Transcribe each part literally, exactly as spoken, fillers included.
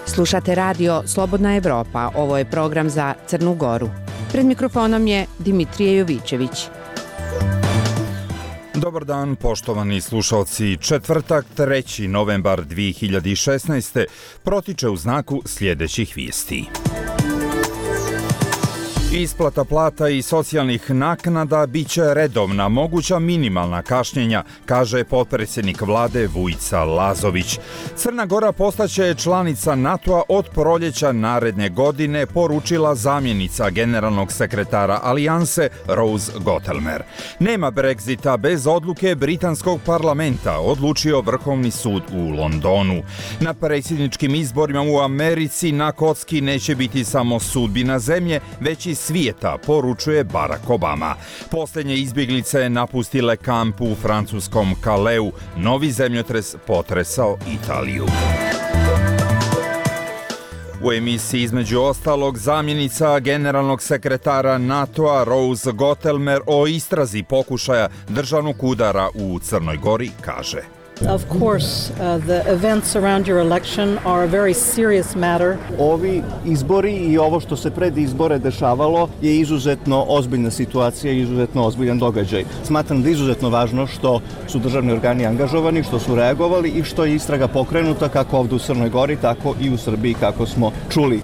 Slušate radio Slobodna Evropa, ovo je program za Crnu Goru. Pred mikrofonom je Dimitrije Jovićević. Dobar dan, poštovani slušalci. Četvrtak, treći novembar dvije hiljade šesnaeste. protiče u znaku sljedećih vijesti. Isplata plata i socijalnih naknada bit će redovna, moguća minimalna kašnjenja, kaže potpredsjednik vlade Vujica Lazović. Crna Gora postaće članica NATO-a od proljeća naredne godine, poručila zamjenica generalnog sekretara Alijanse Rose Gottelmer. Nema Brexita bez odluke britanskog parlamenta, odlučio Vrhovni sud u Londonu. Na predsjedničkim izborima u Americi na kocki neće biti samo sudbina zemlje, već i svijeta, poručuje Barack Obama. Posljednje izbjeglice napustile kamp u francuskom Calaisu. Novi zemljotres potresao Italiju. U emisiji između ostalog zamjenica generalnog sekretara NATO-a Rose Gottelmer o istrazi pokušaja državnog udara u Crnoj Gori kaže: Of course, uh, the events around your election are a very serious matter. Ovi izbori i ovo što se pred izbore dešavalo je izuzetno ozbiljna situacija i izuzetno ozbiljan događaj. Smatram da je izuzetno važno što su državni organi angažovani, što su reagovali i što je istraga pokrenuta kako ovdje u Crnoj Gori, tako i u Srbiji, kako smo čuli.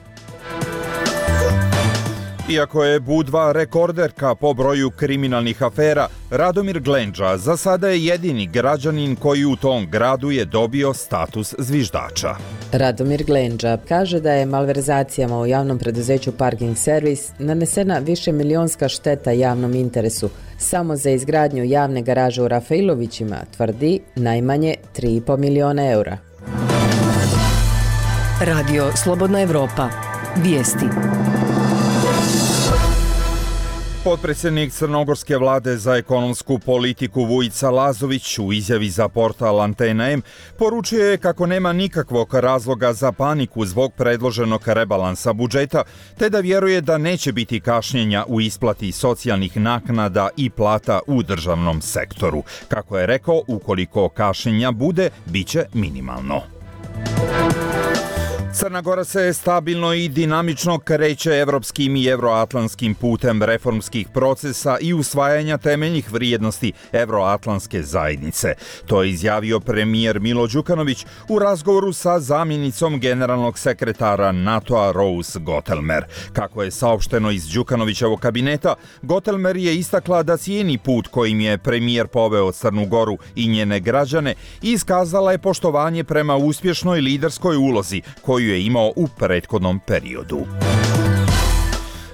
Iako je Budva rekorderka po broju kriminalnih afera, Radomir Glendža za sada je jedini građanin koji u tom gradu je dobio status zviždača. Radomir Glendža kaže da je malverzacijama u javnom preduzeću Parking Service nanesena višemilionska šteta javnom interesu. Samo za izgradnju javne garaže u Rafailovićima tvrdi najmanje tri i pol miliona eura. Radio Slobodna Evropa. Vijesti. Potpredsjednik crnogorske vlade za ekonomsku politiku Vujica Lazović u izjavi za portal Antena M poručuje kako nema nikakvog razloga za paniku zbog predloženog rebalansa budžeta, te da vjeruje da neće biti kašnjenja u isplati socijalnih naknada i plata u državnom sektoru. Kako je rekao, ukoliko kašnjenja bude, bit će minimalno. Crna Gora se stabilno i dinamično kreće evropskim i evroatlantskim putem reformskih procesa i usvajanja temeljnih vrijednosti evroatlantske zajednice. To je izjavio premijer Milo Đukanović u razgovoru sa zamjenicom generalnog sekretara NATO-a Rose Gottelmer. Kako je saopšteno iz Đukanovićevog kabineta, Gottelmer je istakla da cijeni put kojim je premijer poveo Crnu Goru i njene građane i iskazala je poštovanje prema uspješnoj liderskoj ulozi koju je imao u prethodnom periodu.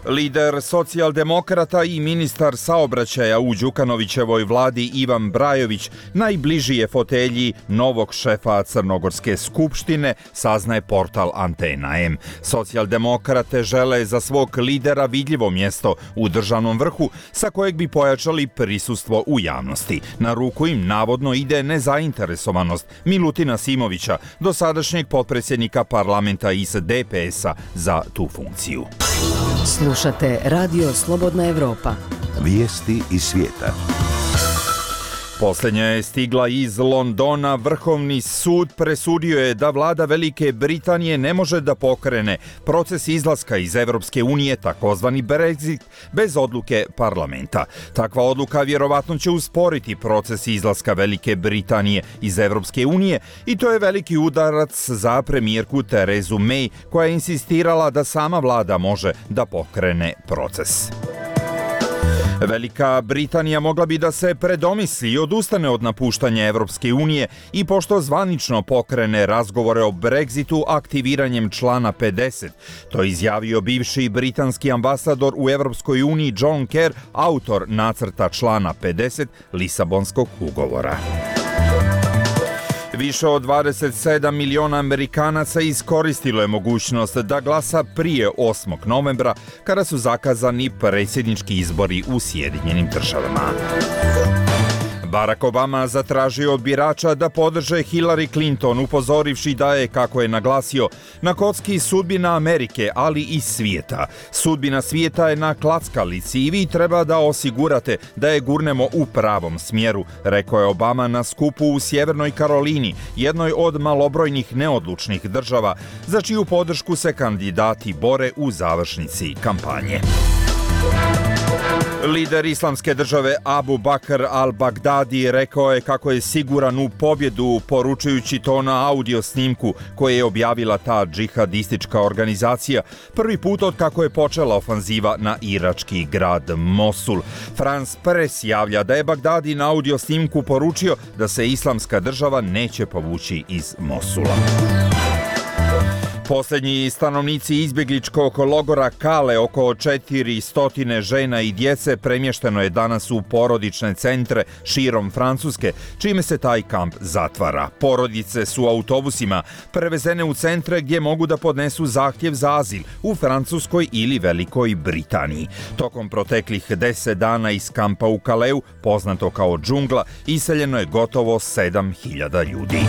Lider socijaldemokrata i ministar saobraćaja u Đukanovićevoj vladi Ivan Brajović najbliži je fotelji novog šefa Crnogorske skupštine, saznaje portal Antena M. Socijaldemokrate žele za svog lidera vidljivo mjesto u državnom vrhu sa kojeg bi pojačali prisustvo u javnosti. Na ruku im navodno ide nezainteresovanost Milutina Simovića, dosadašnjeg potpredsjednika parlamenta iz D P S-a za tu funkciju. Slušate Radio Slobodna Evropa. Vijesti iz svijeta. Posljednja je stigla iz Londona. Vrhovni sud presudio je da vlada Velike Britanije ne može da pokrene proces izlaska iz Evropske unije, takozvani Brexit, bez odluke parlamenta. Takva odluka vjerovatno će usporiti proces izlaska Velike Britanije iz Evropske unije i to je veliki udarac za premijerku Terezu May, koja je insistirala da sama vlada može da pokrene proces. Velika Britanija mogla bi da se predomisli i odustane od napuštanja Evropske unije i pošto zvanično pokrene razgovore o Brexitu aktiviranjem člana pedeset. To je izjavio bivši britanski ambasador u Evropskoj uniji John Kerr, autor nacrta člana pedeset Lisabonskog ugovora. Više od dvadeset sedam miliona Amerikanaca iskoristilo je mogućnost da glasa prije osmog novembra, kada su zakazani predsjednički izbori u Sjedinjenim državama. Barack Obama zatražio od birača da podrže Hillary Clinton, upozorivši da je, kako je naglasio, na kocki sudbina Amerike, ali i svijeta. Sudbina svijeta je na klackalici i vi treba da osigurate da je gurnemo u pravom smjeru, rekao je Obama na skupu u Sjevernoj Karolini, jednoj od malobrojnih neodlučnih država, za čiju podršku se kandidati bore u završnici kampanje. Lider islamske države Abu Bakr al-Baghdadi rekao je kako je siguran u pobjedu, poručujući to na audio snimku koje je objavila ta džihadistička organizacija prvi put od kako je počela ofanziva na irački grad Mosul. France Press javlja da je Baghdadi na audio snimku poručio da se islamska država neće povući iz Mosula. Posljednji stanovnici izbjegličkog logora Kale, oko četiristo žena i djece, premješteno je danas u porodične centre širom Francuske, čime se taj kamp zatvara. Porodice su autobusima prevezene u centre gdje mogu da podnesu zahtjev za azil u Francuskoj ili Velikoj Britaniji. Tokom proteklih deset dana iz kampa u Kaleu, poznato kao džungla, iseljeno je gotovo sedam hiljada ljudi.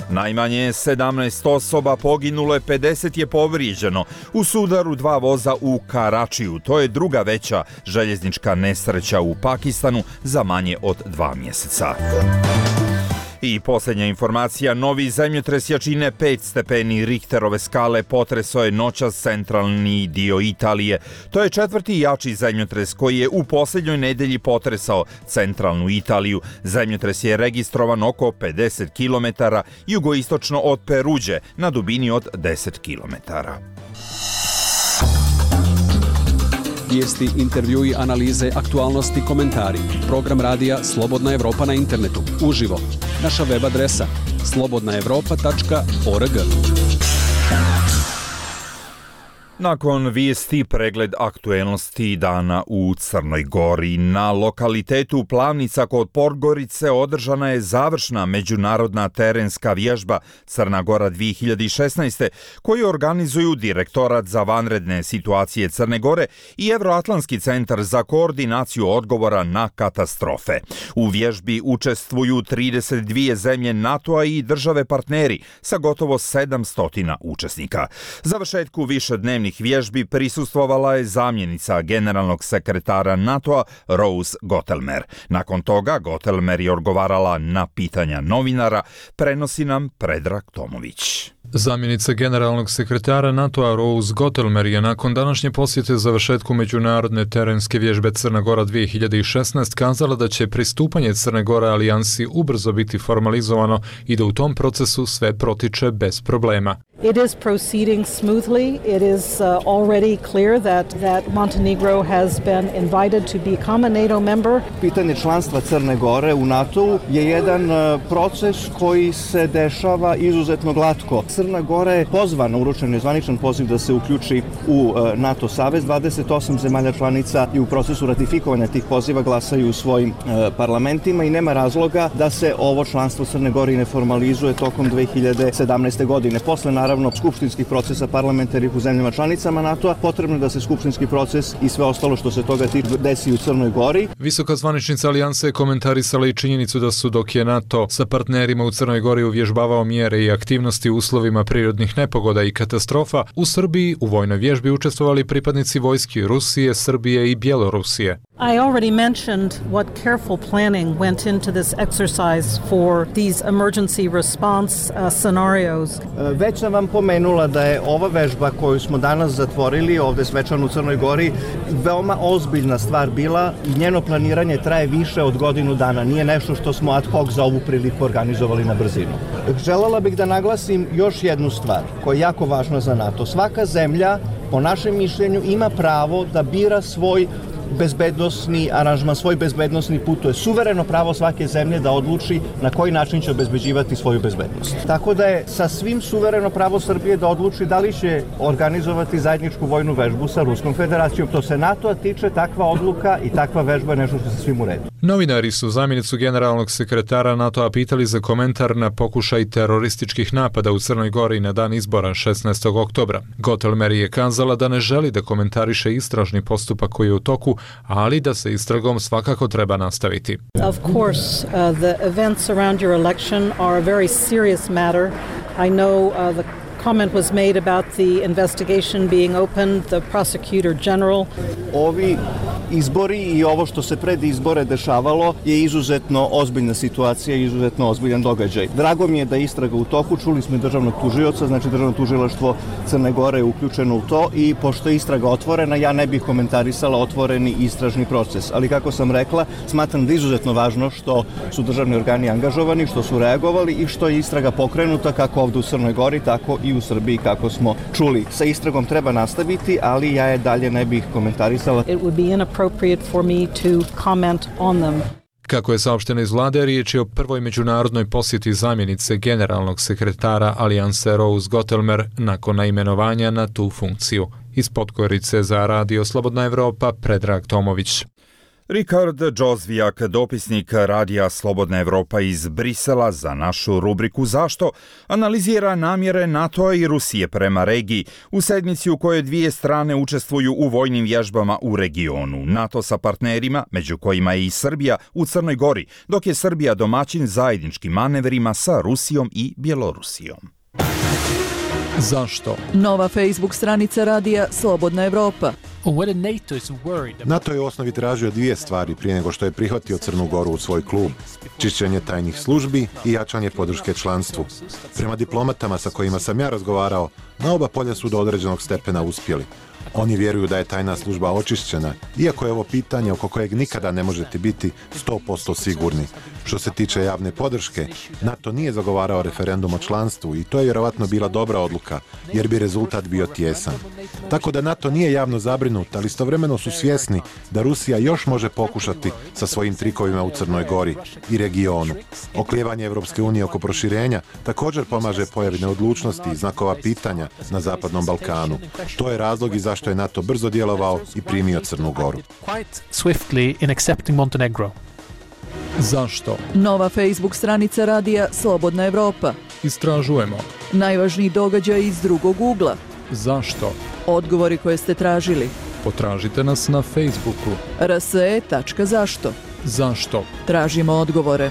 Najmanje sedamnaest osoba poginulo je, pedeset je povrijeđeno u sudaru dva voza u Karačiju. To je druga veća željeznička nesreća u Pakistanu za manje od dva mjeseca. I posljednja informacija, novi zemljotres jačine pet stepeni Richterove skale potresao je noćas centralni dio Italije. To je četvrti jači zemljotres koji je u posljednjoj nedelji potresao centralnu Italiju. Zemljotres je registrovan oko pedeset kilometara jugoistočno od Peruđe na dubini od deset kilometara. Vijesti, intervjui, analize, aktualnosti, komentari. Program radija Slobodna Evropa na internetu. Uživo. Naša web adresa slobodna evropa tačka org. Nakon vijesti, pregled aktuelnosti dana u Crnoj Gori. Na lokalitetu Plavnica kod Podgorice održana je završna međunarodna terenska vježba Crna Gora dvije hiljade šesnaest. koju organizuju Direktorat za vanredne situacije Crne Gore i Evroatlantski centar za koordinaciju odgovora na katastrofe. U vježbi učestvuju trideset dvije zemlje NATO-a i države partneri sa gotovo sedamsto učesnika. Završetku višednevnih vježbi prisustvovala je zamjenica generalnog sekretara NATO-a Rose Gottelmer. Nakon toga Gottelmer je odgovarala na pitanja novinara, prenosi nam Predrag Tomović. Zamjenica generalnog sekretara NATO-a Rose Gottelmer je nakon današnje posjete završetku međunarodne terenske vježbe Crna Gora dvije hiljade šesnaest kazala da će pristupanje Crne Gore alijansi ubrzo biti formalizovano i da u tom procesu sve protiče bez problema. It is proceeding smoothly. It is uh, already clear that, that Montenegro has been invited to become a NATO member. Pitanje članstva Crne Gore u NATO je jedan uh, proces koji se dešava izuzetno glatko. Crna Gora je pozvana, uručen je zvaničan poziv da se uključi u uh, NATO savez. dvadeset osam zemalja članica i u procesu ratifikovanja tih poziva glasaju u svojim uh, parlamentima i nema razloga da se ovo članstvo Crne Gore ne formalizuje tokom dvije hiljade sedamnaeste. godine. Posle naravno skupštinskih procesa parlamentarnih u zemljama članicama NATO-a, potrebno da se skupštinski proces i sve ostalo što se toga desi u Crnoj Gori. Visoka zvaničnica alijanse je komentarisala i činjenicu da su, dok je NATO sa partnerima u Crnoj Gori uvježbavao mjere i aktivnosti u uslovima prirodnih nepogoda i katastrofa, u Srbiji u vojnoj vježbi učestvovali pripadnici vojski Rusije, Srbije i Bjelorusije. I already mentioned what careful planning went into this exercise for these emergency response uh, scenarios. Već sam vam pomenula da je ova vežba koju smo danas zatvorili ovde svečano u Crnoj Gori veoma ozbiljna stvar bila i njeno planiranje traje više od godinu dana. Nije nešto što smo ad hoc za ovu priliku organizovali na brzinu. Želela bih da naglasim još jednu stvar koja je jako važna za NATO. Svaka zemlja, po našem mišljenju, ima pravo da bira svoj bezbednosni aranžman, svoj bezbednosni put. To je suvereno pravo svake zemlje da odluči na koji način će obezbeđivati svoju bezbednost. Tako da je sasvim suvereno pravo Srbije da odluči da li će organizovati zajedničku vojnu vežbu sa Ruskom federacijom. To se NATO-a tiče, takva odluka i takva vežba je nešto što se svim uredi. Novinari su zamjenicu generalnog sekretara NATO-a pitali za komentar na pokušaj terorističkih napada u Crnoj Gori na dan izbora šesnaestog oktobra. Gottelmer je kazala da ne želi da komentariše istražni postupak koji je u toku, ali da se istragom svakako treba nastaviti. Of course, uh, the events around your election are a very serious matter. I know uh, the comment was made about the investigation being opened, the prosecutor general. Ovi izbori i ovo što se pred izbore dešavalo je izuzetno ozbiljna situacija i izuzetno ozbiljan događaj. Drago mi je da je istraga u toku, čuli smo i državnog tužioca, znači državno tužilaštvo Crne Gore je uključeno u to i pošto je istraga otvorena, ja ne bih komentarisala otvoreni istražni proces. Ali kako sam rekla, smatram da je izuzetno važno što su državni organi angažovani, što su reagovali i što je istraga pokrenuta kako ovdje u Crnoj Gori, tako i u Srbiji kako smo čuli. Sa istragom treba nastaviti, ali ja je dalje ne bih komentarisala. It would be inappropriate for me to comment on them. Kako je saopšteno iz vlade, riječ je o prvoj međunarodnoj posjeti zamjenice generalnog sekretara Alijanse Rose Gottelmer nakon naimenovanja na tu funkciju. Iz Podgorice za Radio Slobodna Evropa, Predrag Tomović. Rikard Džozvijak, dopisnik Radija Slobodna Evropa iz Brisela za našu rubriku Zašto, analizira namjere NATO-a i Rusije prema regiji u sedmici u kojoj dvije strane učestvuju u vojnim vježbama u regionu. NATO sa partnerima, među kojima je i Srbija, u Crnoj Gori, dok je Srbija domaćin zajedničkim manevrima sa Rusijom i Bjelorusijom. Zašto? Nova Facebook stranica Radija Slobodna Evropa. NATO je u osnovi tražio dvije stvari prije nego što je prihvatio Crnu Goru u svoj klub. Čišćenje tajnih službi i jačanje podrške članstvu. Prema diplomatama sa kojima sam ja razgovarao, na oba polja su do određenog stepena uspjeli. Oni vjeruju da je tajna služba očišćena, iako je ovo pitanje oko kojeg nikada ne možete biti sto posto sigurni. Što se tiče javne podrške, NATO nije zagovarao referendum o članstvu i to je vjerovatno bila dobra odluka, jer bi rezultat bio tijesan. Tako da NATO nije javno zabrinut, ali istovremeno su svjesni da Rusija još može pokušati sa svojim trikovima u Crnoj Gori i regionu. Oklijevanje Evropske unije oko proširenja također pomaže pojavi neodlučnosti i znakova pitanja na Zapadnom Balkanu. To je razlog i zašto je NATO brzo djelovao i primio Crnu Goru. Zašto? Nova Facebook stranica Radija Slobodna Evropa. Istražujemo. Najvažniji događaj iz drugog ugla. Zašto? Odgovori koje ste tražili. Potražite nas na Facebooku. r s e tačka zašto. Zašto? Tražimo odgovore.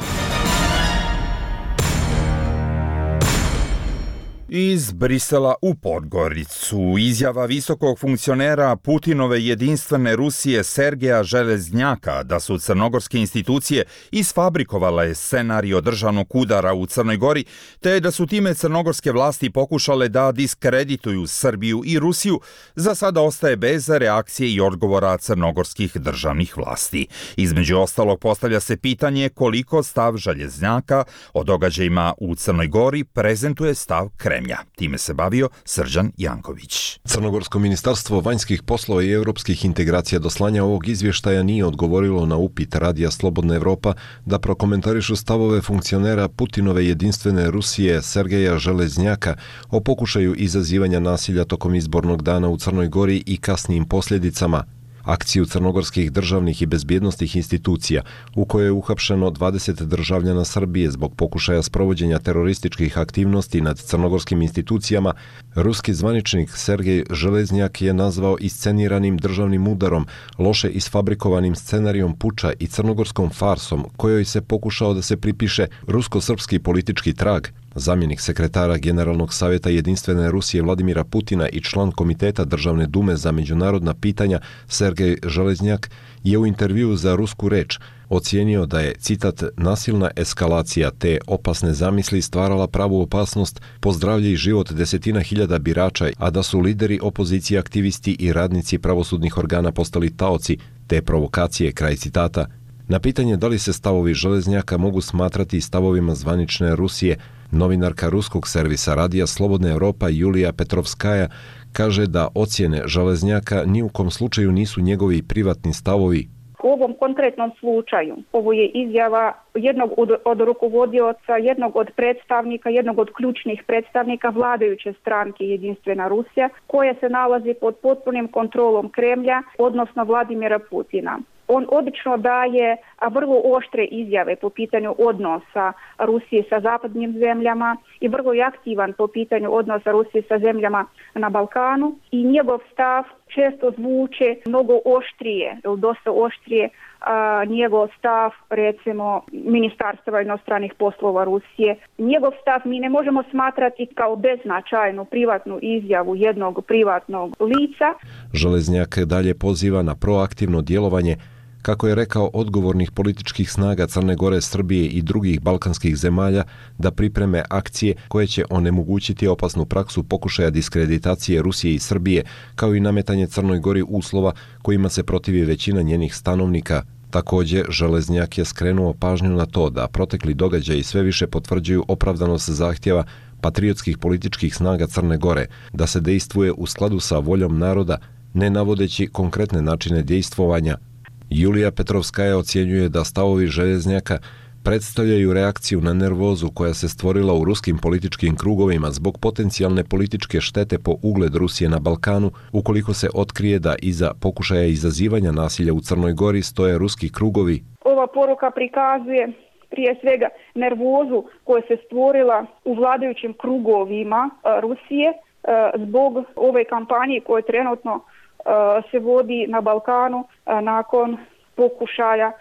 Iz Brisela u Podgoricu izjava visokog funkcionera Putinove jedinstvene Rusije Sergeja Železnjaka da su crnogorske institucije isfabrikovale scenarij državnog udara u Crnoj Gori, te da su time crnogorske vlasti pokušale da diskredituju Srbiju i Rusiju, za sada ostaje bez reakcije i odgovora crnogorskih državnih vlasti. Između ostalog postavlja se pitanje koliko stav Železnjaka o događajima u Crnoj Gori prezentuje stav Kremlja. Time se bavio Srđan Janković. Crnogorsko ministarstvo vanjskih poslova i europskih integracija do slanja ovog izvještaja nije odgovorilo na upit Radija Slobodna Evropa da prokomentarišu stavove funkcionera Putinove jedinstvene Rusije Sergeja Železnjaka o pokušaju izazivanja nasilja tokom izbornog dana u Crnoj Gori i kasnijim posljedicama. Akciju crnogorskih državnih i bezbjednostnih institucija u kojoj je uhapšeno dvadeset državljana Srbije zbog pokušaja sprovođenja terorističkih aktivnosti nad crnogorskim institucijama, ruski zvaničnik Sergej Železnjak je nazvao isceniranim državnim udarom, loše isfabrikovanim scenarijom puča i crnogorskom farsom kojoj se pokušao da se pripiše rusko-srpski politički trag. Zamjenik sekretara Generalnog savjeta Jedinstvene Rusije Vladimira Putina i član Komiteta Državne dume za međunarodna pitanja Sergej Železnjak je u intervjuu za Rusku reč ocijenio da je, citat, nasilna eskalacija te opasne zamisli stvarala pravu opasnost po zdravlje i život desetina hiljada birača, a da su lideri opozicije, aktivisti i radnici pravosudnih organa postali taoci te provokacije, kraj citata. Na pitanje da li se stavovi Železnjaka mogu smatrati stavovima zvanične Rusije, novinarka ruskog servisa Radija Slobodna Evropa Julija Petrovskaja kaže da ocjene Železnjaka ni u kom slučaju nisu njegovi privatni stavovi. U ovom konkretnom slučaju ovo je izjava jednog od, od rukovodioca, jednog od predstavnika, jednog od ključnih predstavnika vladajuće stranke Jedinstvena Rusija, koja se nalazi pod potpunim kontrolom Kremlja, odnosno Vladimira Putina. On obično daje vrlo oštre izjave po pitanju odnosa Rusije sa zapadnim zemljama i vrlo je aktivan po pitanju odnosa Rusije sa zemljama na Balkanu i njegov stav često zvuče mnogo oštrije, dosta oštrije a, njegov stav recimo Ministarstva inostranih poslova Rusije. Njegov stav mi ne možemo smatrati kao beznačajnu privatnu izjavu jednog privatnog lica. Železnjak dalje poziva na proaktivno djelovanje, kako je rekao, odgovornih političkih snaga Crne Gore, Srbije i drugih balkanskih zemalja da pripreme akcije koje će onemogućiti opasnu praksu pokušaja diskreditacije Rusije i Srbije, kao i nametanje Crnoj Gori uslova kojima se protivi većina njenih stanovnika. Također, Železnjak je skrenuo pažnju na to da protekli događaji sve više potvrđuju opravdanost zahtjeva patriotskih političkih snaga Crne Gore da se dejstvuje u skladu sa voljom naroda, ne navodeći konkretne načine dejstvovanja. Julija Petrovskaja ocjenjuje da stavovi Železnjaka predstavljaju reakciju na nervozu koja se stvorila u ruskim političkim krugovima zbog potencijalne političke štete po ugled Rusije na Balkanu, ukoliko se otkrije da iza pokušaja izazivanja nasilja u Crnoj Gori stoje ruski krugovi. Ova poruka prikazuje prije svega nervozu koja se stvorila u vladajućim krugovima Rusije zbog ove kampanje koje trenutno se vodi na Balkanu nakon pokušaja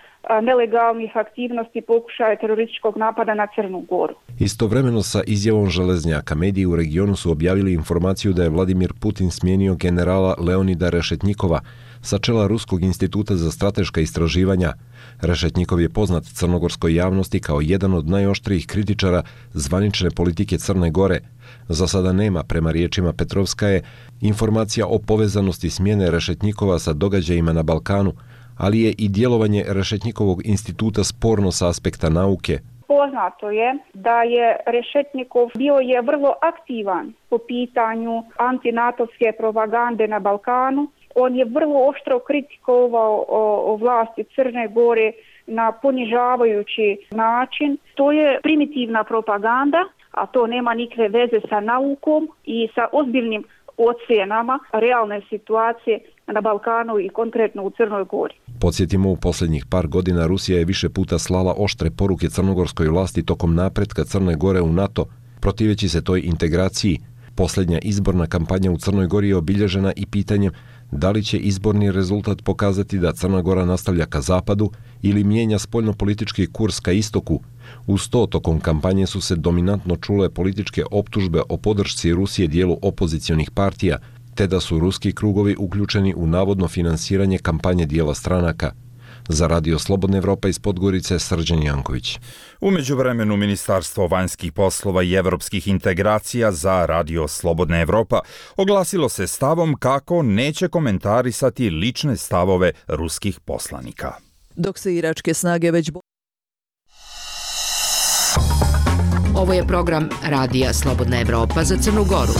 nelegalnih aktivnosti, pokušaja terorističkog napada na Crnu Goru. Istovremeno sa izjavom Železnjaka, mediji u regionu su objavili informaciju da je Vladimir Putin smijenio generala Leonida Rešetnjikova sa čela Ruskog instituta za strateška istraživanja. Rešetnjikov je poznat crnogorskoj javnosti kao jedan od najoštrijih kritičara zvanične politike Crne Gore. Za sada nema, prema riječima Petrovskaje, informacija o povezanosti smjene Rešetnjikova sa događajima na Balkanu, ali je i djelovanje Rešetnjikovog instituta sporno sa aspekta nauke. Poznato je da je Rešetnjikov bio je vrlo aktivan po pitanju antinatovske propagande na Balkanu. On je vrlo oštro kritikovao o, o vlasti Crne Gore na ponižavajući način. To je primitivna propaganda, a to nema nikakve veze sa naukom i sa ozbiljnim ocjenama realne situacije na Balkanu i konkretno u Crnoj Gori. Podsjetimo, u posljednjih par godina Rusija je više puta slala oštre poruke crnogorskoj vlasti tokom napretka Crne Gore u NATO, protiveći se toj integraciji. Posljednja izborna kampanja u Crnoj Gori je obilježena i pitanjem da li će izborni rezultat pokazati da Crna Gora nastavlja ka zapadu ili mijenja spoljnopolitički kurs ka istoku. Uz to, tokom kampanje su se dominantno čule političke optužbe o podršci Rusije dijelu opozicionih partija, te da su ruski krugovi uključeni u navodno finansiranje kampanje dijela stranaka. Za Radio Slobodna Evropa iz Podgorice, Srđan Janković. U međuvremenu Ministarstvo vanjskih poslova i evropskih integracija za Radio Slobodna Evropa oglasilo se stavom kako neće komentarisati lične stavove ruskih poslanika. Dok se iračke snage već... Ovo je program Radija Slobodna Evropa za Crnu Goru.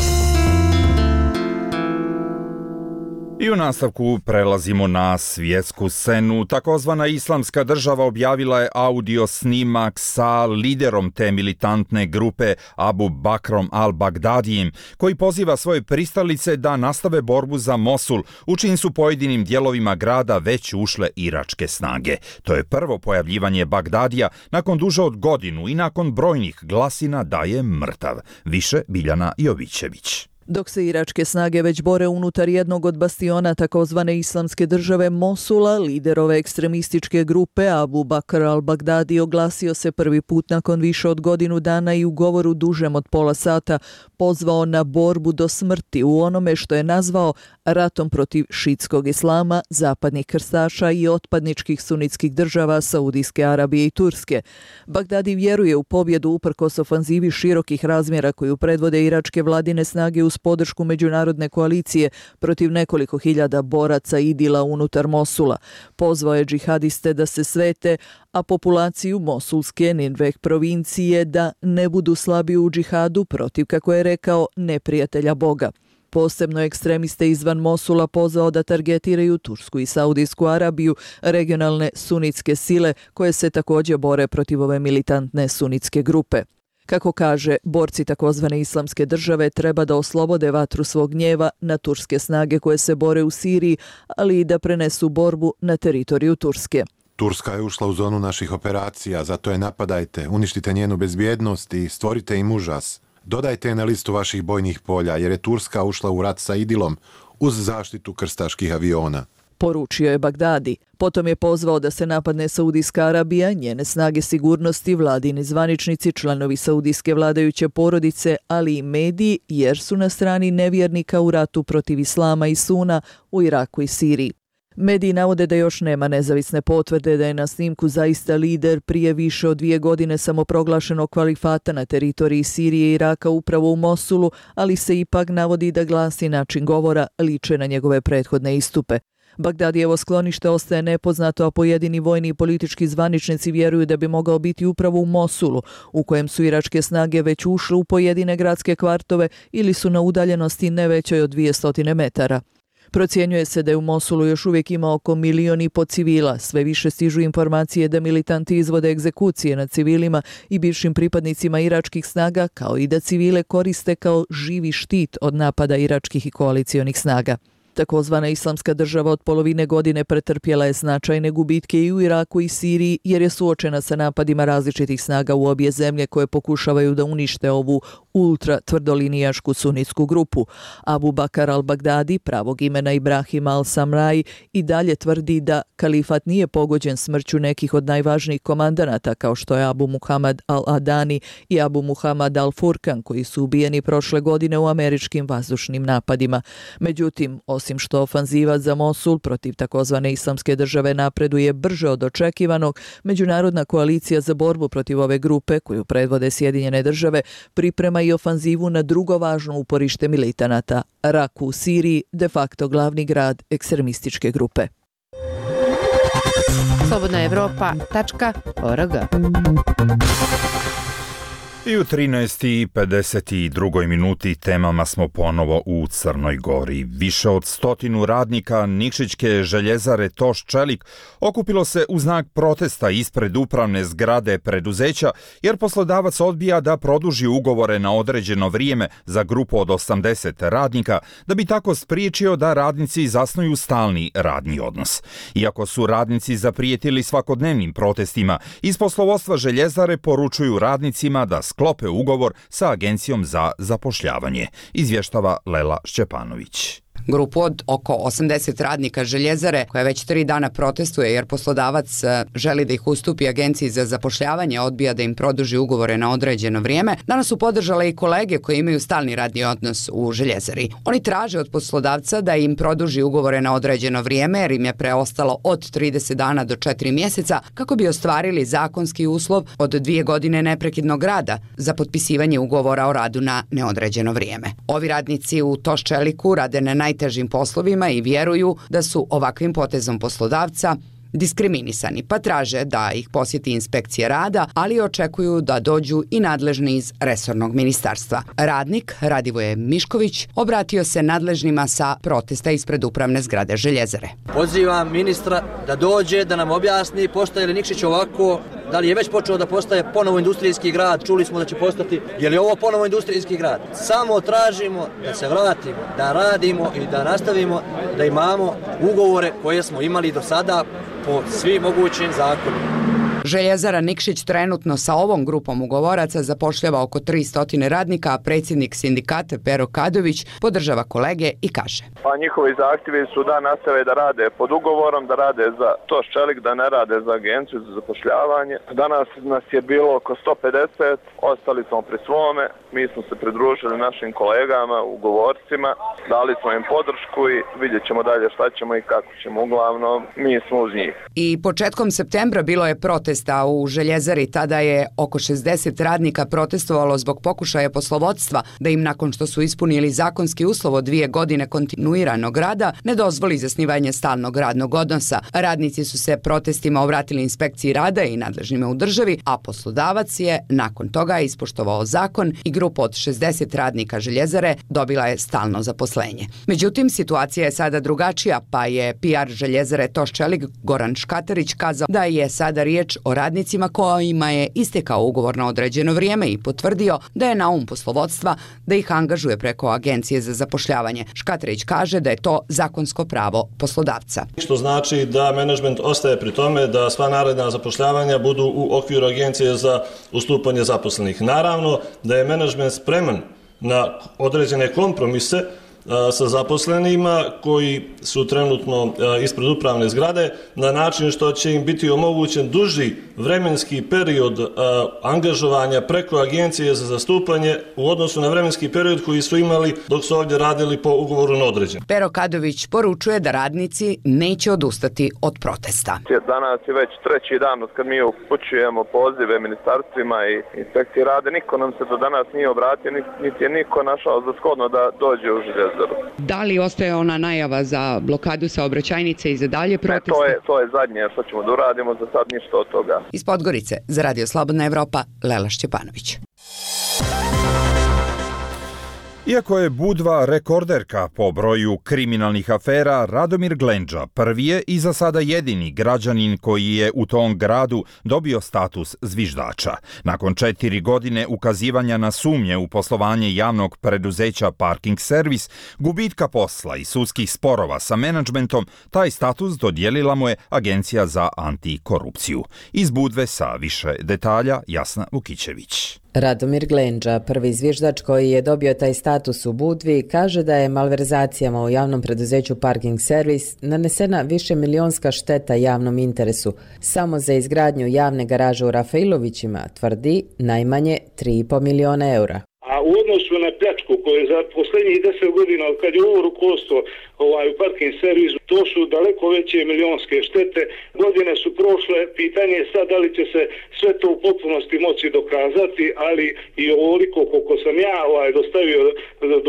I u nastavku prelazimo na svjetsku scenu. Takozvana Islamska država objavila je audio snimak sa liderom te militantne grupe Abu Bakrom al-Bagdadijem, koji poziva svoje pristalice da nastave borbu za Mosul, u čijim su pojedinim dijelovima grada već ušle iračke snage. To je prvo pojavljivanje Bagdadija nakon duže od godinu i nakon brojnih glasina da je mrtav. Više Biljana Jovićević. Dok se iračke snage već bore unutar jednog od bastiona takozvane Islamske države Mosula, lider ove ekstremističke grupe Abu Bakr al-Bagdadi oglasio se prvi put nakon više od godinu dana i u govoru dužem od pola sata pozvao na borbu do smrti u onome što je nazvao ratom protiv šitskog islama, zapadnih krstaša i otpadničkih sunitskih država Saudijske Arabije i Turske. Bagdadi vjeruje u pobjedu uprkos ofanzivi širokih razmjera koju predvode iračke vladine snage uz podršku međunarodne koalicije protiv nekoliko hiljada boraca idila unutar Mosula. Pozvao je džihadiste da se svete, a populaciju Mosulske Ninveh provincije da ne budu slabi u džihadu protiv, kako je rekao, neprijatelja Boga. Posebno ekstremiste izvan Mosula pozvao da targetiraju Tursku i Saudijsku Arabiju, regionalne sunitske sile koje se također bore protiv ove militantne sunitske grupe. Kako kaže, borci takozvane islamske države treba da oslobode vatru svog gnjeva na turske snage koje se bore u Siriji, ali i da prenesu borbu na teritoriju Turske. Turska je ušla u zonu naših operacija, zato je napadajte, uništite njenu bezbjednost i stvorite im užas. Dodajte je na listu vaših bojnih polja, jer je Turska ušla u rat sa Idilom uz zaštitu krstaških aviona. Poručio je Bagdadi. Potom je pozvao da se napadne Saudijska Arabija, njene snage sigurnosti, vladini zvaničnici, članovi saudijske vladajuće porodice, ali i mediji, jer su na strani nevjernika u ratu protiv islama i suna u Iraku i Siriji. Mediji navode da još nema nezavisne potvrde da je na snimku zaista lider prije više od dvije godine samoproglašenog kvalifata na teritoriji Sirije i Iraka upravo u Mosulu, ali se ipak navodi da glas i način govora liče na njegove prethodne istupe. Bagdadijevo sklonište ostaje nepoznato, a pojedini vojni i politički zvaničnici vjeruju da bi mogao biti upravo u Mosulu, u kojem su iračke snage već ušle u pojedine gradske kvartove ili su na udaljenosti ne većoj od dvjesto metara. Procjenjuje se da je u Mosulu još uvijek ima oko milion i po civila. Sve više stižu informacije da militanti izvode egzekucije nad civilima i bivšim pripadnicima iračkih snaga, kao i da civile koriste kao živi štit od napada iračkih i koalicionih snaga. Takozvana islamska država od polovine godine pretrpjela je značajne gubitke i u Iraku i Siriji jer je suočena sa napadima različitih snaga u obje zemlje koje pokušavaju da unište ovu ultra tvrdolinijašku sunitsku grupu. Abu Bakr al-Baghdadi, pravog imena Ibrahim al-Samrai, i dalje tvrdi da kalifat nije pogođen smrću nekih od najvažnijih komandanata kao što je Abu Muhammad al-Adani i Abu Muhammad al-Furkan, koji su ubijeni prošle godine u američkim vazdušnim napadima. Međutim, osim što ofanziva za Mosul protiv takozvane islamske države napreduje brže od očekivanog, međunarodna koalicija za borbu protiv ove grupe, koju predvode Sjedinjene države, priprema i ofanzivu na drugo važno uporište militanata, Raku u Siriji, de facto glavni grad ekstremističke grupe. slobodna evropa tačka org. I u trinaest i pedeset dva minuti temama smo ponovo u Crnoj Gori. Više od stotinu radnika Nikšićke željezare Toš Čelik okupilo se u znak protesta ispred upravne zgrade preduzeća, jer poslodavac odbija da produži ugovore na određeno vrijeme za grupu od osamdeset radnika, da bi tako spriječio da radnici zasnuju stalni radni odnos. Iako su radnici zaprijetili svakodnevnim protestima, iz poslovodstva željezare poručuju radnicima da sklope ugovor sa Agencijom za zapošljavanje, izvještava Lela Šćepanović. Grupu od oko osamdeset radnika željezare, koja već tri dana protestuje jer poslodavac želi da ih ustupi Agenciji za zapošljavanje, odbija da im produži ugovore na određeno vrijeme, danas su podržale i kolege koji imaju stalni radni odnos u željezari. Oni traže od poslodavca da im produži ugovore na određeno vrijeme jer im je preostalo od trideset dana do četiri mjeseca kako bi ostvarili zakonski uslov od dvije godine neprekidnog rada za potpisivanje ugovora o radu na neodređeno vrijeme. Ovi radnici u Toš Čeliku rade na najtežim poslovima i vjeruju da su ovakvim potezom poslodavca diskriminisani, pa traže da ih posjeti inspekcija rada, ali očekuju da dođu i nadležni iz resornog ministarstva. Radnik Radivoje Mišković obratio se nadležnima sa protesta ispred upravne zgrade željezare. Pozivam ministra da dođe, da nam objasni postaje li Nikšić ovako, da li je već počeo da postaje ponovo industrijski grad, čuli smo da će postati, je li ovo ponovo industrijski grad? Samo tražimo da se vratimo, da radimo i da nastavimo da imamo ugovore koje smo imali do sada po svim mogućim zakonima. Željezara Nikšić trenutno sa ovom grupom ugovoraca zapošljava oko tristo radnika, a predsjednik sindikata Pero Kadović podržava kolege i kaže: Pa njihovi zahtjevi su da nastave da rade pod ugovorom, da rade za Toš Čelik, da ne rade za Agenciju za zapošljavanje. Danas nas je bilo oko sto pedeset, ostali smo pri svome, mi smo se pridružili našim kolegama, ugovorcima, dali smo im podršku i vidjet ćemo dalje šta ćemo i kako ćemo, uglavnom mi smo uz njih. I početkom septembra bilo je protesta u željezari, tada je oko šezdeset radnika protestovalo zbog pokušaja poslovodstva da im nakon što su ispunili zakonski uslov od dvije godine kontinuiranog rada ne dozvoli zasnivanje stalnog radnog odnosa. Radnici su se protestima obratili inspekciji rada i nadležnima u državi, a poslodavac je nakon toga ispoštovao zakon i grupa grupa od šezdeset radnika željezare dobila je stalno zaposlenje. Međutim, situacija je sada drugačija, pa je P R željezare Toš Čelik Goran Škatarić kazao da je sada riječ o radnicima kojima je istekao ugovor na određeno vrijeme i potvrdio da je na um poslovodstva da ih angažuje preko agencije za zapošljavanje. Škatarić kaže da je to zakonsko pravo poslodavca. Što znači da menadžment ostaje pri tome da sva naredna zapošljavanja budu u okviru agencije za ustupanje zaposlenih. Naravno da je menadžment spreman na određene kompromise sa zaposlenima koji su trenutno ispred upravne zgrade na način što će im biti omogućen duži vremenski period angažovanja preko agencije za zastupanje u odnosu na vremenski period koji su imali dok su ovdje radili po ugovoru na određeno. Pero Kadović poručuje da radnici neće odustati od protesta. Danas je već treći dan od kad mi upućujemo pozive ministarstvima i inspekcije rade. Niko nam se do danas nije obratio, niti je niko našao za shodno da dođe u željezaru. Da li ostaje ona najava za blokadu saobraćajnice i za dalje proteste? Ne, to je, to je zadnje što ćemo da uradimo, za sad ništa od toga. Iz Podgorice, za Radio Slobodna Evropa, Lela Šćepanović. Iako je Budva rekorderka po broju kriminalnih afera, Radomir Glendža prvi je i za sada jedini građanin koji je u tom gradu dobio status zviždača. Nakon četiri godine ukazivanja na sumnje u poslovanje javnog preduzeća Parking Servis, gubitka posla i sudskih sporova sa menadžmentom, taj status dodijelila mu je Agencija za antikorupciju. Iz Budve sa više detalja Jasna Vukićević. Radomir Glendža, prvi zviždač koji je dobio taj status u Budvi, kaže da je malverzacijama u javnom preduzeću Parking Servis nanesena više milionska šteta javnom interesu. Samo za izgradnju javne garaže u Rafailovićima tvrdi najmanje tri i pol miliona eura. A u odnosu na pljačku koje za posljednjih deset godina kad je ovo rukovodstvo ovaj, u Parking Servisu, to su daleko veće milionske štete. Godine su prošle, pitanje je sad da li će se sve to u potpunosti moći dokazati, ali i ovoliko koliko sam ja ovaj, dostavio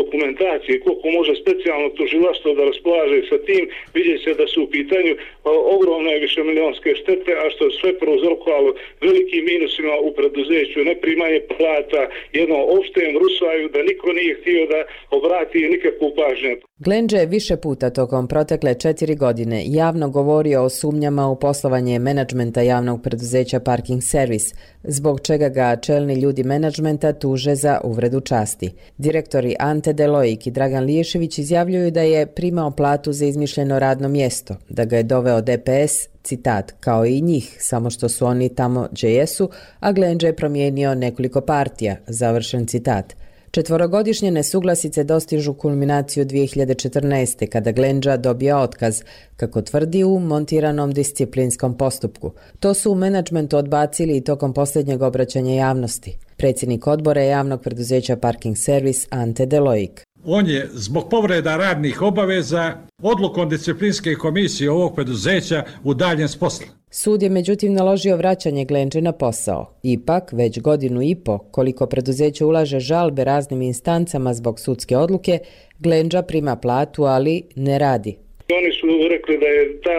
dokumentacije, koliko može specijalno tužilaštvo da raspolaže sa tim, vidjet se da su u pitanju o, ogromne višemilionske štete, a što je sve prouzrokovalo velikim minusima u preduzeću, neprimanje plata, jedno opštem rusaju da niko nije htio da obrati nikakvu pažnju. Glendža je više puta tokom protekle četiri godine javno govorio o sumnjama u poslovanje menadžmenta javnog preduzeća Parking Servis, zbog čega ga čelni ljudi menadžmenta tuže za uvredu časti. Direktori Ante Delojik i Dragan Liješević izjavljuju da je primao platu za izmišljeno radno mjesto, da ga je doveo D P S, citat, kao i njih, samo što su oni tamo gdje jesu, a Glendža je promijenio nekoliko partija, završen citat. Četvorogodišnje nesuglasice dostižu kulminaciju dvije hiljade četrnaeste. kada Glendža dobija otkaz, kako tvrdi u montiranom disciplinskom postupku. To su u menadžmentu odbacili i tokom posljednjeg obraćanja javnosti. Predsjednik odbora javnog preduzeća Parking Servis Ante Delojik. On je zbog povreda radnih obaveza odlukom disciplinske komisije ovog preduzeća udaljen s posla. Sud je međutim naložio vraćanje Glendže na posao. Ipak, već godinu i po, koliko preduzeće ulaže žalbe raznim instancama zbog sudske odluke, Glendža prima platu, ali ne radi. Oni su rekli da je ta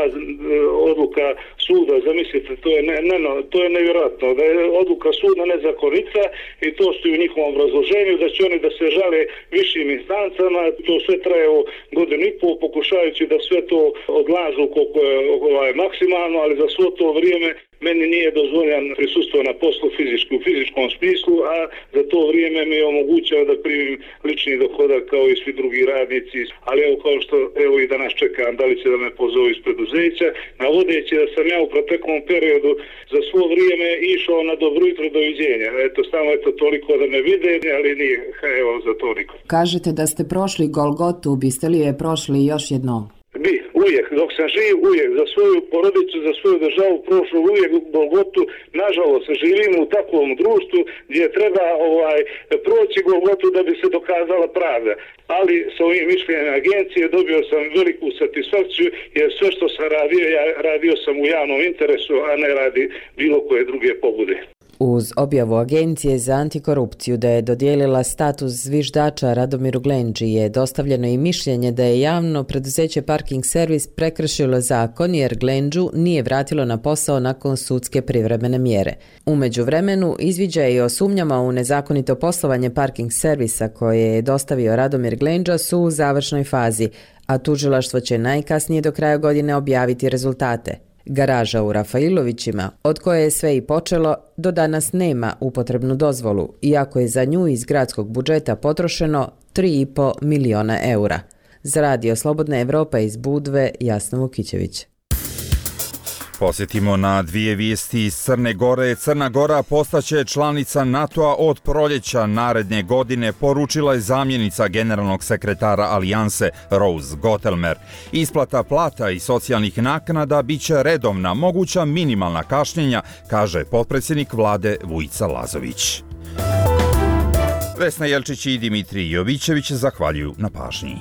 odluka suda, zamislite, to je, ne, ne, to je nevjerojatno, da je odluka suda nezakonita i to su u njihovom obrazloženju, da će oni da se žale višim instancama, to sve traje u godinu i pol, pokušavajući da sve to odlažu koliko je ovaj, maksimalno, ali za svo to vrijeme meni nije dozvoljan prisustvo na poslu fizičku, u fizičkom smislu, a za to vrijeme mi je omogućao da primim lični dohodak kao i svi drugi radnici. Ali evo kao što evo i danas čekam da li će da me pozovu iz preduzeća, navodeći da sam ja u proteklom periodu za svo vrijeme išao na dobro jutro, doviđenja. Eto, samo eto toliko da me vide, ali nije, evo za to niko. Kažete da ste prošli Golgotu, biste li je prošli još jednom? Bi, uvijek, dok sam živ, uvijek, za svoju porodicu, za svoju državu prošlo uvijek u Golgotu. Nažalost, živimo u takvom društvu gdje treba ovaj proći Golgotu da bi se dokazala pravda. Ali sa ovim mišljenjem agencije dobio sam veliku satisfakciju jer sve što sam radio, ja radio sam u javnom interesu, a ne radi bilo koje druge pobude. Uz objavu Agencije za antikorupciju da je dodijelila status zviždača Radomiru Glendži je dostavljeno i mišljenje da je javno preduzeće Parking Servis prekršilo zakon jer Glendžu nije vratilo na posao nakon sudske privremene mjere. U međuvremenu izviđaji o sumnjama u nezakonito poslovanje Parking Servisa koje je dostavio Radomir Glendža su u završnoj fazi, a tužilaštvo će najkasnije do kraja godine objaviti rezultate. Garaža u Rafailovićima, od koje je sve i počelo, do danas nema upotrebnu dozvolu, iako je za nju iz gradskog budžeta potrošeno tri i po miliona eura. Za Radio Slobodna Evropa iz Budve, Jasna Vukićević. Posjetimo na dvije vijesti iz Crne Gore. Crna Gora postaće članica NATO-a od proljeća naredne godine, poručila je zamjenica generalnog sekretara Alijanse Rose Gottelmer. Isplata plata i socijalnih naknada biće redovna, moguća minimalna kašnjenja, kaže potpredsjednik vlade Vujica Lazović. Vesna Jelčić i Dimitrij Jovićević zahvaljuju na pažnji.